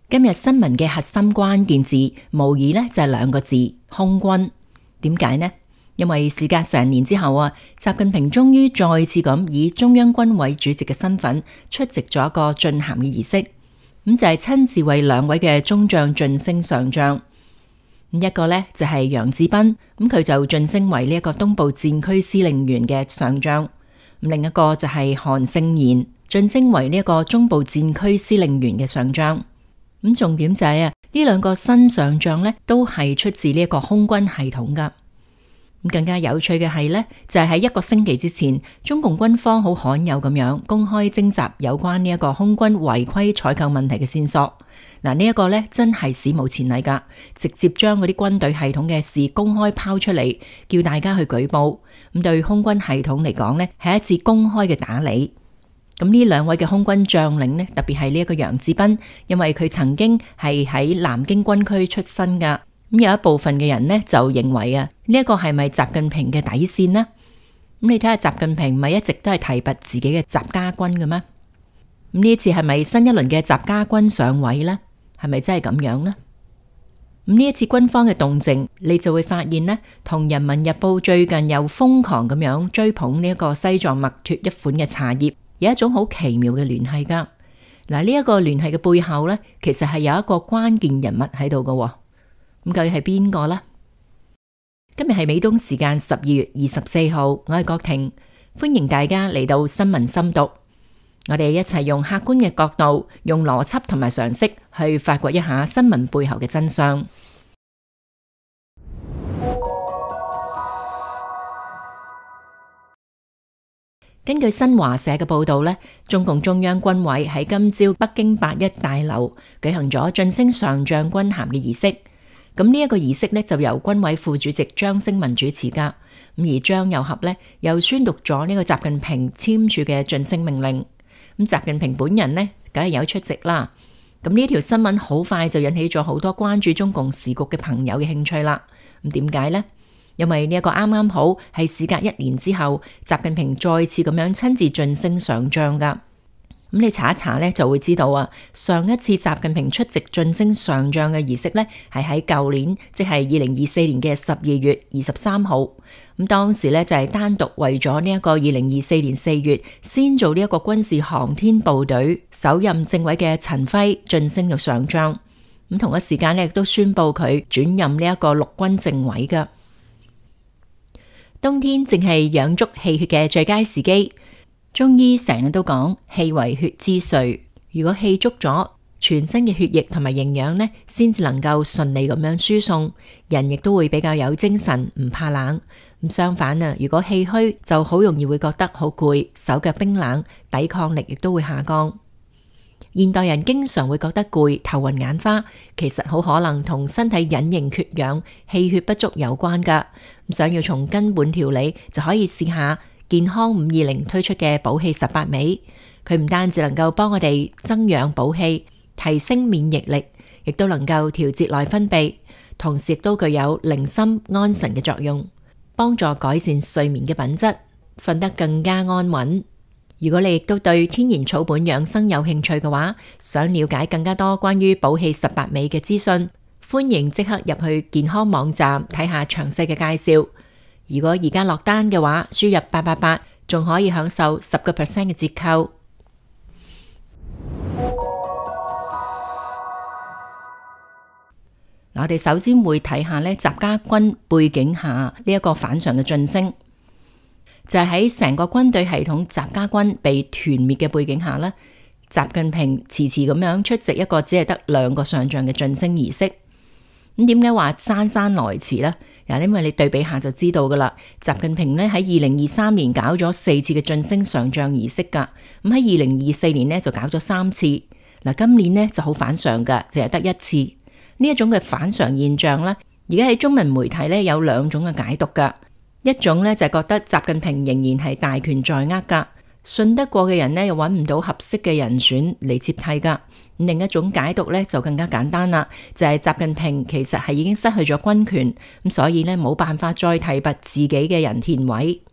今日新聞嘅核心關鍵字，無疑呢就係兩個字：空軍。點解呢？因為事隔成年之後啊，習近平終於再次咁以中央軍委主席嘅身份出席咗一個晉銜嘅儀式，咁就係親自為兩位嘅中將晉升上將。一個呢就係楊志斌，咁佢就晉升為呢一個東部戰區司令員嘅上將；另一個就係韓勝賢，晉升為呢一個中部戰區司令員嘅上將。咁重點就係呢兩個新上將呢都係出自呢一個空軍系統噶。咁更加有趣嘅係呢，就係喺一個星期之前，中共軍方好罕有咁樣公開徵集有關呢一個空軍違規採購問題嘅線索。嗱，呢一個呢真係史無前例噶，直接將嗰啲軍隊系統嘅事公開拋出嚟，叫大家去舉報。咁對空軍系統嚟講呢，係一次公開嘅打理。咁呢兩位嘅空軍將領呢，特別係呢一個楊志斌，因為佢曾經係喺南京軍區出身噶。咁有一部分嘅人呢，就認為呢一個係咪習近平嘅底線呢？咁你睇下習近平咪一直都係提拔自己嘅習家軍嘅咩？咁呢次係咪新一輪嘅習家軍上位呢？係咪真係咁樣呢？咁呢一次軍方嘅動靜，你就會發現呢，同人民日報最近又瘋狂咁樣追捧呢一個西藏墨脫一款嘅茶葉，有一種好奇妙嘅聯繫噶。嗱，呢一個聯繫嘅背後呢，其實係有一個關鍵人物喺度嘅。咁究竟係邊個呢？今日係美東時間12月24號，我係郭婷，歡迎大家嚟到新聞深讀。我哋一齊用客觀嘅角度，用邏輯同埋常識去發掘一下新聞背後嘅真相。根據新華社嘅報道呢，中共中央軍委喺今朝北京8·1大樓舉行咗晉升上將軍銜嘅儀式。咁呢一個儀式呢，就由軍委副主席張升民主持噶。咁而張又俠呢，又宣讀咗呢個習近平簽署嘅晉升命令。咁習近平本人呢，梗係有出席啦。咁呢條新聞好快就引起咗好多關注中共時局嘅朋友嘅興趣啦。咁點解呢？因為呢一個啱啱好係事隔1年之後，習近平再次咁樣親自晉升上將噶。咁你查一查呢，就會知道啊，上一次習近平出席晉升上將嘅儀式呢，係喺舊年，即係2024年嘅12月23號。咁當時呢，就係單獨為咗呢一個2024年4月先做呢一個軍事航天部隊首任政委嘅陳輝晉升到上將。咁同一時間呢，亦都宣布佢轉任呢一個陸軍政委噶。冬天正係養足氣血嘅最佳時機。中醫成日都講氣為血之髓，如果氣足咗，全身嘅血液同埋營養呢，先至能夠順利咁樣輸送，人亦都會比較有精神，唔怕冷。咁相反啊，如果氣虛，就好容易會覺得好攰，手腳冰冷，抵抗力亦都會下降。現代人經常會覺得攰、頭暈眼花，其實好可能同身體隱形缺氧、氣血不足有關噶。咁想要從根本調理，就可以試下健康520推出嘅補氣18味，佢唔單止能夠幫我哋增氧補氣、提升免疫力，亦都能夠調節內分泌，同時亦都具有寧心安神嘅作用，幫助改善睡眠嘅品質，瞓得更加安穩。如果你亦都對天然草本養生有興趣嘅話，想了解更加多關於補氣18味嘅資訊，歡迎即刻入去健康網站睇下詳細嘅介紹。如果而家落單嘅話，輸入888，仲可以享受10% 嘅折扣。我哋首先會睇下呢習家軍背景下呢一個反常嘅晉升，就係喺成個軍隊系統習家軍被團滅嘅背景下呢，習近平遲遲咁樣出席一個只係得2個上將嘅晉升儀式。咁點解話姍姍來遲呢？因為你對比下就知道噶啦。習近平呢喺2023年搞咗4次嘅晉升上將儀式噶，咁喺2024年呢就搞咗3次。嗱，今年呢就好反常噶，淨係得1次。呢一種嘅反常現象呢，而家喺中文媒體呢有2種嘅解讀噶。一種呢就係覺得習近平仍然係大權在握噶，信得過嘅人呢又揾唔到合適嘅人選嚟接替噶。另一種解讀呢就更加簡單啦，就係習近平其實係已經失去咗軍權，咁所以呢冇辦法再提拔自己嘅人填位。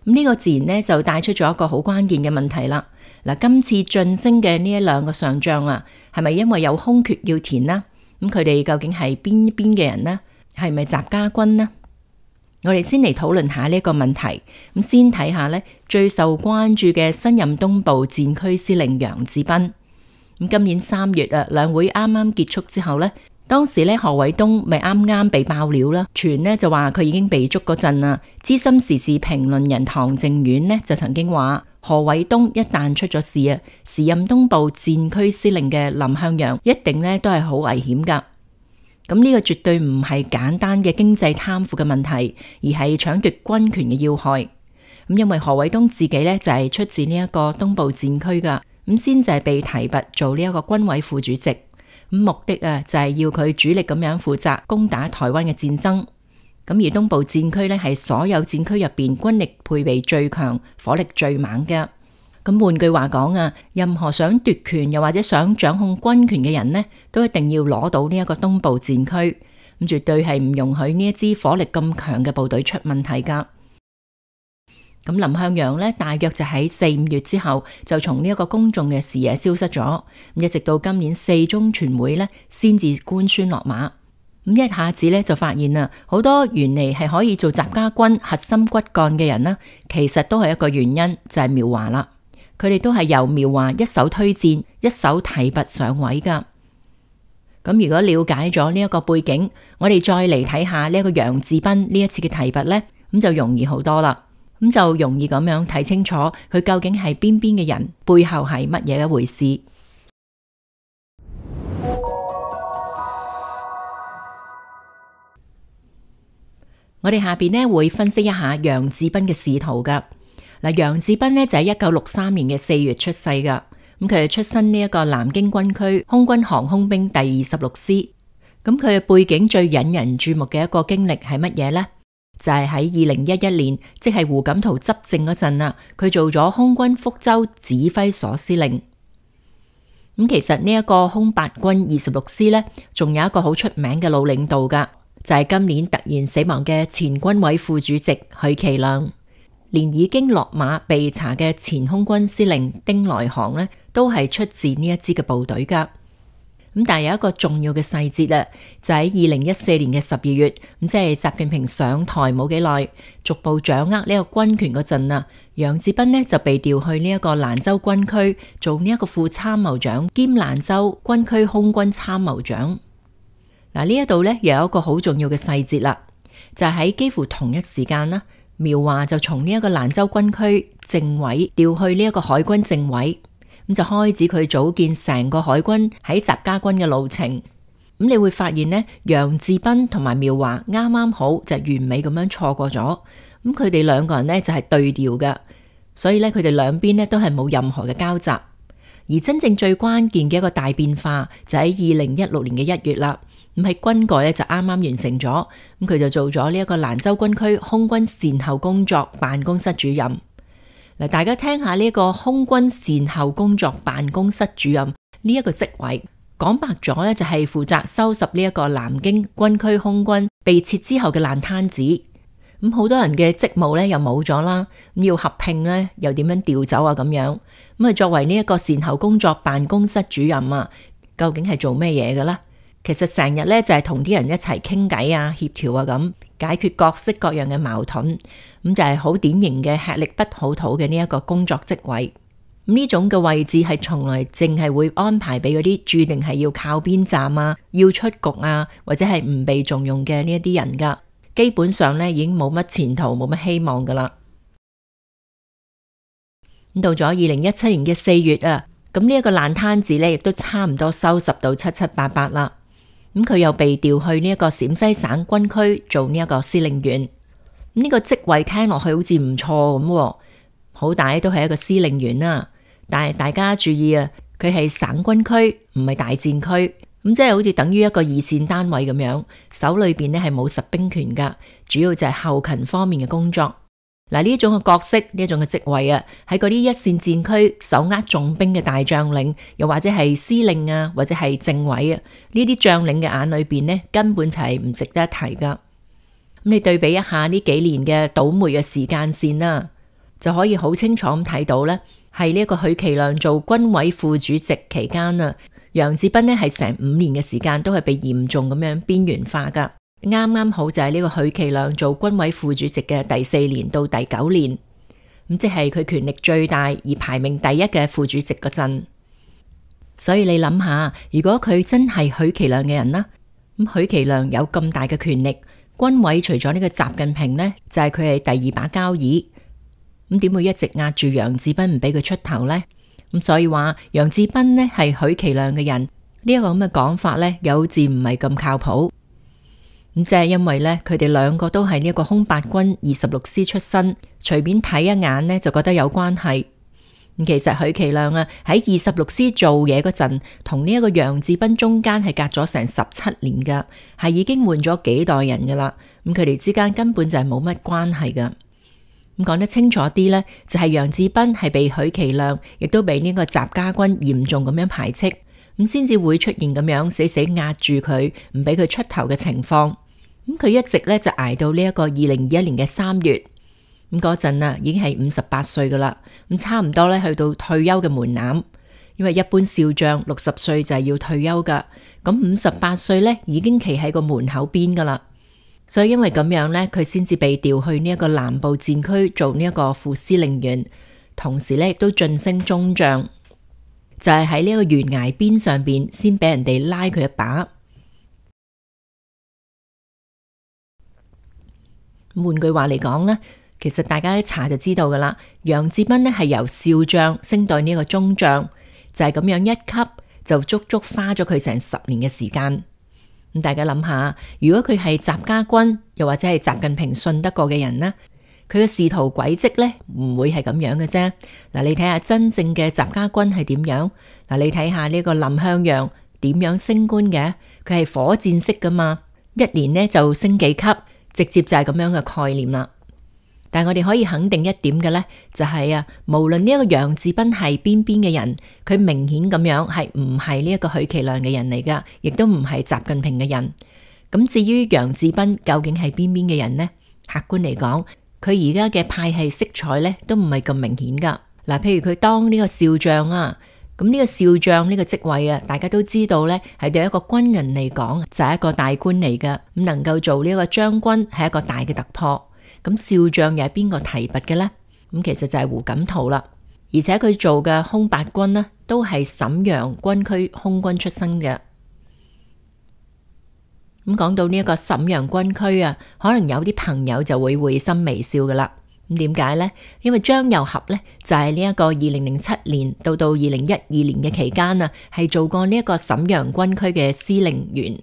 咁呢個自然呢就帶出咗一個好關鍵嘅問題啦。嗱，今次晉升嘅呢兩個上將啊，係咪因為有空缺要填呢？咁佢哋究竟係邊邊嘅人呢？係咪習家軍呢？我哋先嚟討論下呢個問題。咁先睇下呢最受關注嘅新任東部戰區司令楊志斌。咁今年3月啊，兩會啱啱結束之後呢，當時呢何偉東咪啱啱被爆料啦，傳呢就話佢已經被捉嗰陣啊，資深時事評論人唐靖遠呢就曾經話何偉東一旦出咗事啊，時任東部戰區司令嘅林向陽一定呢都係好危險噶。咁呢個絕對唔係簡單嘅經濟貪腐嘅問題，而係搶奪軍權嘅要害。咁因為何偉東自己呢就係出自呢一個東部戰區噶，咁先就係被提拔做呢一個軍委副主席。咁目的啊就係要佢主力咁樣負責攻打台灣嘅戰爭。咁而東部戰區呢係所有戰區入邊軍力配備最強、火力最猛嘅。咁換句話講啊，任何想奪權又或者想掌控軍權嘅人呢，都一定要攞到呢一個東部戰區。咁絕對係唔容許呢一支火力咁強嘅部隊出問題噶。咁林向陽呢，大約就喺4-5月之後就從呢一個公眾嘅視野消失咗，一直到今年4中全會呢，先至官宣落馬。咁一下子呢，就發現啊，好多原嚟係可以做習家軍核心骨幹嘅人啦，其實都係一個原因，就係苗華啦。佢哋都係由苗華一手推薦、一手提拔上位噶。咁如果了解咗呢一個背景，我哋再嚟睇下呢一個楊志斌呢一次嘅提拔呢，咁就容易好多啦。咁就容易咁樣睇清楚佢究竟係邊邊嘅人，背後係乜嘢一回事。我哋下邊呢會分析一下楊志斌嘅仕途噶。嗱，楊志斌呢就喺1963年嘅4月出世噶。咁佢係出身呢一個南京軍區空軍航空兵第26師。咁佢嘅背景最引人注目嘅一個經歷係乜嘢呢？就係喺2011年，即係胡錦濤執政嗰陣啊，佢做咗空軍福州指揮所司令。咁其實呢一個空八軍26師呢，仲有一個好出名嘅老領導噶，就係今年突然死亡嘅前軍委副主席許其亮。連已經落馬被查嘅前空軍司令丁來航呢，都係出自呢一支嘅部隊噶。咁但係有一個重要嘅細節啊，就喺2014年嘅12月，咁即係習近平上台冇幾耐，逐步掌握呢個軍權嗰陣啊，楊志斌呢就被調去呢一個蘭州軍區做呢一個副參謀長兼蘭州軍區空軍參謀長。嗱，呢一度呢又有一個好重要嘅細節啦，就係喺幾乎同一時間啦，苗華就從呢一個蘭州軍區政委調去呢一個海軍政委。咁就開始佢組建成個海軍喺習家軍嘅路程。咁你會發現呢，楊志斌同埋苗華啱啱好就完美咁樣錯過咗。咁佢哋兩個人呢就係對調嘅，所以呢，佢哋兩邊呢都係冇任何嘅交集。而真正最關鍵嘅一個大變化就喺2016年嘅1月啦。咁喺軍改呢就啱啱完成咗，咁佢就做咗呢一個蘭州軍區空軍善後工作辦公室主任。嗱，大家聽下呢個空軍善後工作辦公室主任呢一個職位，講白咗呢，就係負責收拾呢一個南京軍區空軍被撤之後嘅爛攤子。咁好多人嘅職務呢又冇咗啦，咁要合併呢又點樣調走啊咁樣。咁啊作為呢一個善後工作辦公室主任啊，究竟係做咩嘢嘅咧？其實成日呢就係同啲人一齊傾偈啊、協調啊咁，解決各式各樣嘅矛盾。咁就係好典型嘅吃力不討好嘅呢一個工作職位。呢種嘅位置係從來淨係會安排俾嗰啲注定係要靠邊站啊、要出局啊，或者係唔被重用嘅呢一啲人噶。基本上呢已經冇乜前途、冇乜希望噶啦。咁到咗2017年嘅4月啊，咁呢一個爛攤子呢亦都差唔多收拾到七七八八啦。咁佢又被調去呢一個陝西省軍區做呢一個司令員。呢個職位聽落去好似唔錯咁，好歹都係一個司令員啦。但係大家注意啊，佢係省軍區，唔係大戰區，咁即係好似等於一個二線單位咁樣，手裏邊呢係冇實兵權噶，主要就係後勤方面嘅工作。嗱，呢種嘅角色，呢種嘅職位啊，喺嗰啲一線戰區手握重兵嘅大將領，又或者係司令啊，或者係政委啊，呢啲將領嘅眼裏邊呢，根本就係唔值得一提噶。咁你對比一下呢幾年嘅倒霉嘅時間線啦，就可以好清楚咁睇到咧，係呢一個許其亮做軍委副主席期間啊，楊智斌呢係成5年嘅時間都係被嚴重咁樣邊緣化噶。啱啱好就係呢個許其亮做軍委副主席嘅第4年到第9年，咁即係佢權力最大而排名第1嘅副主席嗰陣。所以你諗下，如果佢真係許其亮嘅人啦，咁許其亮有咁大嘅權力，軍委除咗呢個習近平呢，就係佢係第2把交椅。咁點會一直壓住楊智斌唔俾佢出頭呢？咁所以話楊智斌呢係許其亮嘅人，呢一個咁嘅講法呢，有字唔係咁靠譜。咁即係因為呢，佢哋兩個都係呢一個空八軍26師出身，隨便睇一眼呢，就覺得有關係。咁其實許其亮啊喺26師做嘢嗰陣，同呢一個楊智斌中間係隔咗成17年噶，係已經換咗幾代人噶啦。咁佢哋之間根本就係冇乜關係噶。咁講得清楚啲呢，就係楊智斌係被許其亮，亦都被呢個習家軍嚴重咁樣排斥，咁先至會出現咁樣死死壓住佢，唔俾佢出頭嘅情況。咁佢一直呢就捱到呢一個2021年嘅3月，咁嗰陣啊已經係58歲噶啦，咁差唔多呢去到退休嘅門檻，因為一般少將60歲就係要退休噶，咁58歲呢已經企喺個門口邊噶啦。所以因為咁樣呢，佢先至被調去呢一個南部戰區做呢一個副司令員，同時呢亦都晉升中將，就係喺呢個懸崖邊上邊先俾人哋拉佢一把。換句話嚟講呢，其實大家一查就知道噶啦，楊智斌呢係由少將升到呢個中將，就係咁樣一級就足足花咗佢成10年嘅時間。咁大家諗下，如果佢係習家軍，又或者係習近平信得過嘅人呢，佢嘅仕途軌跡呢唔會係咁樣嘅啫。嗱，你睇下真正嘅習家軍係點樣？嗱，你睇下呢個林向陽點樣升官嘅？佢係火箭式噶嘛，1年呢就升幾級，直接就係咁樣嘅概念啦。但係我哋可以肯定一點嘅呢，就係啊，無論呢一個楊智斌係邊嘅人，佢明顯咁樣係唔係呢一個許其亮嘅人嚟噶，亦都唔係習近平嘅人。咁至於楊智斌究竟係邊嘅人呢？客觀嚟講，佢而家嘅派系色彩呢都唔係咁明顯噶。嗱，譬如佢當呢個少將啊，咁呢個少將呢個職位啊，大家都知道呢係對一個軍人嚟講就係一個大官嚟噶，咁能夠做呢個將軍係一個大嘅突破。咁少將又係邊個提拔嘅呢？咁其實就係胡錦濤啦，而且佢做嘅空八軍呢，都係瀋陽軍區空軍出身嘅。咁講到呢一個瀋陽軍區啊，可能有啲朋友就會會心微笑噶啦。咁點解呢？因為張又俠呢，就係呢一個2007年到2012年嘅期間啊，係做過呢一個瀋陽軍區嘅司令員。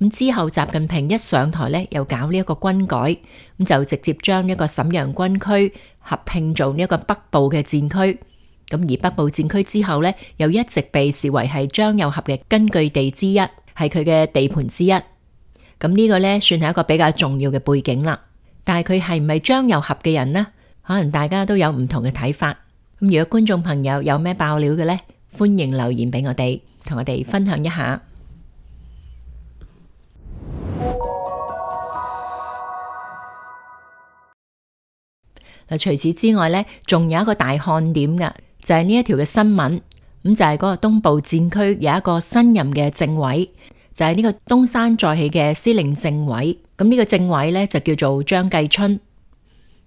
咁之後習近平一上台呢，又搞呢一個軍改，咁就直接將呢一個瀋陽軍區合併做呢一個北部嘅戰區。咁而北部戰區之後呢，又一直被視為係張又俠嘅根據地之一，係佢嘅地盤之一。咁呢個呢，算係一個比較重要嘅背景啦。但係佢係唔係張又俠嘅人呢？可能大家都有唔同嘅睇法。咁如果觀眾朋友有咩爆料嘅呢，歡迎留言俾我哋，同我哋分享一下。除此之外呢，仲有一個大看點噶，就係呢一條嘅新聞。咁就係嗰個東部戰區有一個新任嘅政委，就係呢個東山再起嘅司令政委。咁呢個政委呢，就叫做張繼春。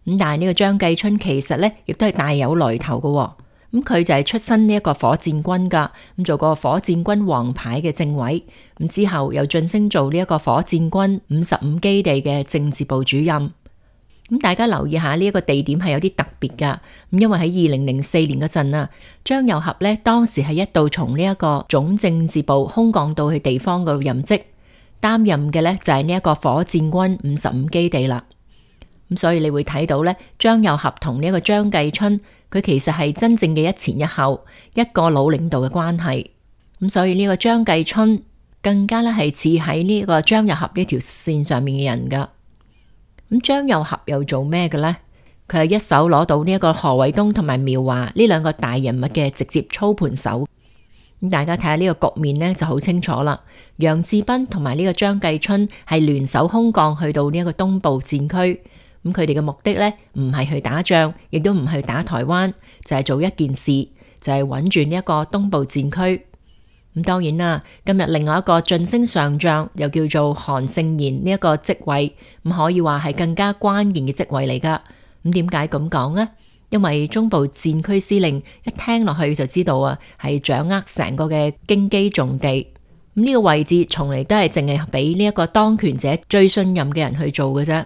咁但係呢個張繼春其實呢，亦都係大有來頭噶。咁佢就係出身呢一個火箭軍噶，咁做過火箭軍王牌嘅政委。咁之後又晉升做呢一個火箭軍55基地嘅政治部主任。咁大家留意下呢一個地點係有啲特別噶，咁因為喺2004年嗰陣啊，張又俠呢當時係一度從呢一個總政治部空降到去地方嗰度任職，擔任嘅呢就係呢一個火箭軍55基地啦。咁所以你會睇到呢，張又俠同呢一個張繼春，佢其實係真正嘅一前一後，一個老領導嘅關係。咁所以呢個張繼春更加呢係似喺呢個張又俠呢條線上面嘅人噶。咁張又俠又做咩嘅呢？佢係一手攞到呢一個何衛東同埋苗華呢兩個大人物嘅直接操盤手。咁大家睇下呢個局面呢就好清楚啦。楊智斌同埋呢個張繼春係聯手空降去到呢一個東部戰區，咁佢哋嘅目的呢，唔係去打仗，亦都唔係去打台灣，就係做一件事，就係穩住呢一個東部戰區。咁當然啦，今日另外一個晉升上將又叫做韓勝賢呢一個職位，咁可以話係更加關鍵嘅職位嚟噶。咁點解咁講呢？因為中部戰區司令一聽落去就知道啊，係掌握成個嘅京畿重地。咁呢個位置從嚟都係淨係俾呢一個當權者最信任嘅人去做嘅啫。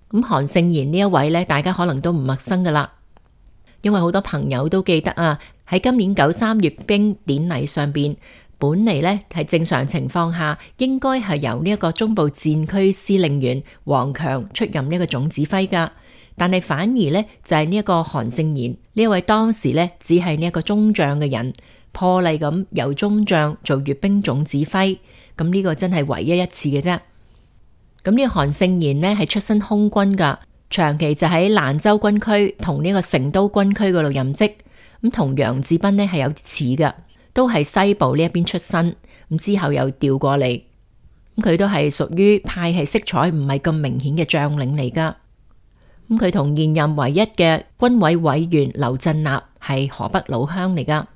咁韓勝賢呢一位呢，大家可能都唔陌生噶啦，因為好多朋友都記得啊，喺今年93閱兵典禮上邊，本嚟呢係正常情況下應該係由呢一個中部戰區司令員王強出任呢一個總指揮噶，但係反而呢，就係呢一個韓勝賢呢一位當時呢只係呢一個中將嘅人，破例咁由中將做閱兵總指揮，咁呢個真係唯一一次嘅啫。咁呢個韓勝賢呢係出身空軍噶，長期就喺蘭州軍區同呢個成都軍區嗰度任職，咁同楊志斌呢係有似噶，都係西部呢一邊出身，咁之後又調過嚟，咁佢都係屬於派系色彩唔係咁明顯嘅將領嚟噶。咁佢同現任唯一嘅軍委委員劉振立係河北老鄉嚟噶。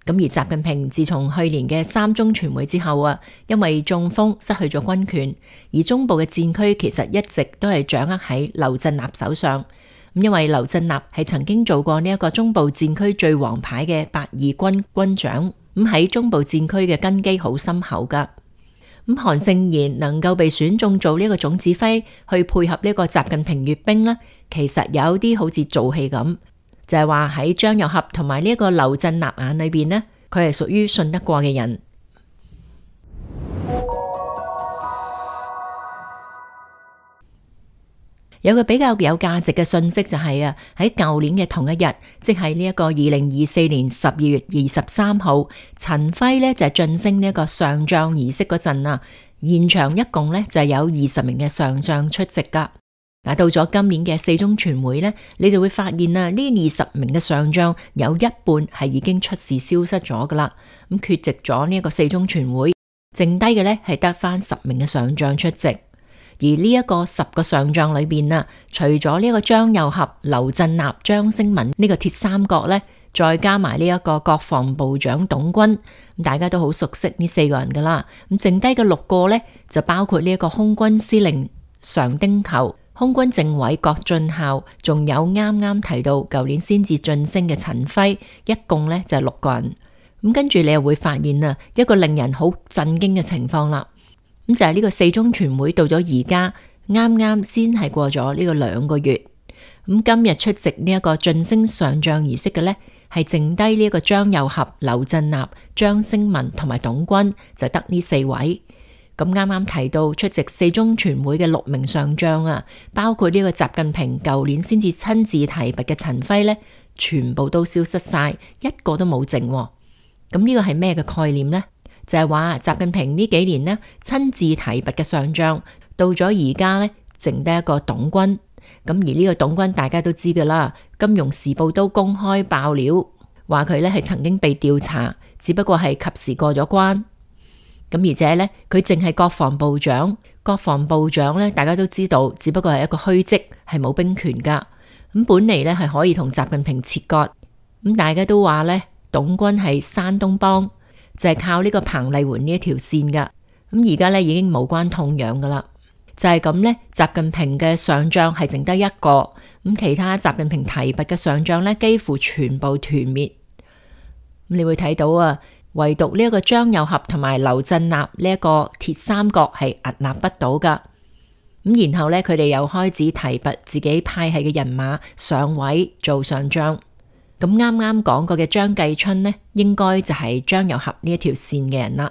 咁而習近平自從去年嘅3中全會之後啊，因為中風失去咗軍權，而中部嘅戰區其實一直都係掌握喺劉振立手上。咁因為劉振立係曾經做過呢一個中部戰區最王牌嘅8二軍軍長，咁喺中部戰區嘅根基好深厚噶。咁韓勝賢能夠被選中做呢個總指揮，去配合呢個習近平閱兵呢，其實有啲好似做戲咁。就係話喺張又俠同埋呢一個劉振立眼裏邊呢，佢係屬於信得過嘅人。有個比較有價值嘅信息就係啊，喺舊年嘅同一日，即係呢一個2024年12月23號，陳輝呢就係晉升呢一個上將儀式嗰陣啊，現場一共呢就係有20名嘅上將出席噶。嗱，到咗今年嘅4中全會呢，你就會發現啊，呢20名嘅上將有一半係已經出事消失咗噶啦，咁缺席咗呢一個4中全會，剩低嘅呢係得翻10名嘅上將出席。而呢一個10個上將裏邊啊，除咗呢一個張又俠、劉振立、張星文呢個鐵三角呢，再加埋呢一個國防部長董軍，咁大家都好熟悉呢4個人噶啦。咁剩低嘅6個呢，就包括呢一個空軍司令常丁球、空軍政委郭俊孝，仲有啱啱提到舊年先至晉升嘅陳輝，一共呢就係6個人。咁跟住你又會發現啊，一個令人好震驚嘅情況啦。咁就係呢個4中全會到咗而家，啱啱先係過咗呢個2個月。咁今日出席呢一個晉升上將儀式嘅呢，係剩低呢一個張又俠、劉振立、張星文同埋董軍，就得呢4位。咁啱啱提到出席4中全會嘅6名上將啊，包括呢個習近平舊年先至親自提拔嘅陳輝呢，全部都消失晒，一個都冇剩。咁呢個係咩嘅概念呢？就係話習近平呢幾年呢親自提拔嘅上將，到咗而家呢，剩低一個董軍。咁而呢個董軍大家都知噶啦，金融時報都公開爆料，話佢呢係曾經被調查，只不過係及時過咗關。咁而且呢，佢淨係國防部長，國防部長呢大家都知道，只不過係一個虛職，係冇兵權噶。咁本嚟呢係可以同習近平切割。咁大家都話呢，董軍係山東幫。就係靠呢個彭麗媛呢一條線噶，咁而家呢已經無關痛癢噶啦，就係咁呢，習近平嘅上將係剩得一個，咁其他習近平提拔嘅上將呢幾乎全部團滅。咁你會睇到啊，唯獨呢一個張又俠同埋劉振立呢一個鐵三角係屹立不倒噶。咁然後呢，佢哋又開始提拔自己派系嘅人馬上位做上將。咁啱啱講過嘅張繼春呢，應該就係張又俠呢一條線嘅人啦。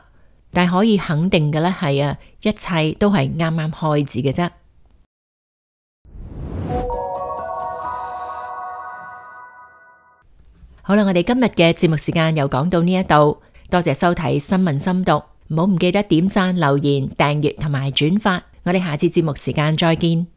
但係可以肯定嘅呢係啊，一切都係啱啱開始嘅啫。好啦，我哋今日嘅節目時間又講到呢一度，多謝收睇新聞深讀，唔好唔記得點讚、留言、訂閱同埋轉發。我哋下次節目時間再見。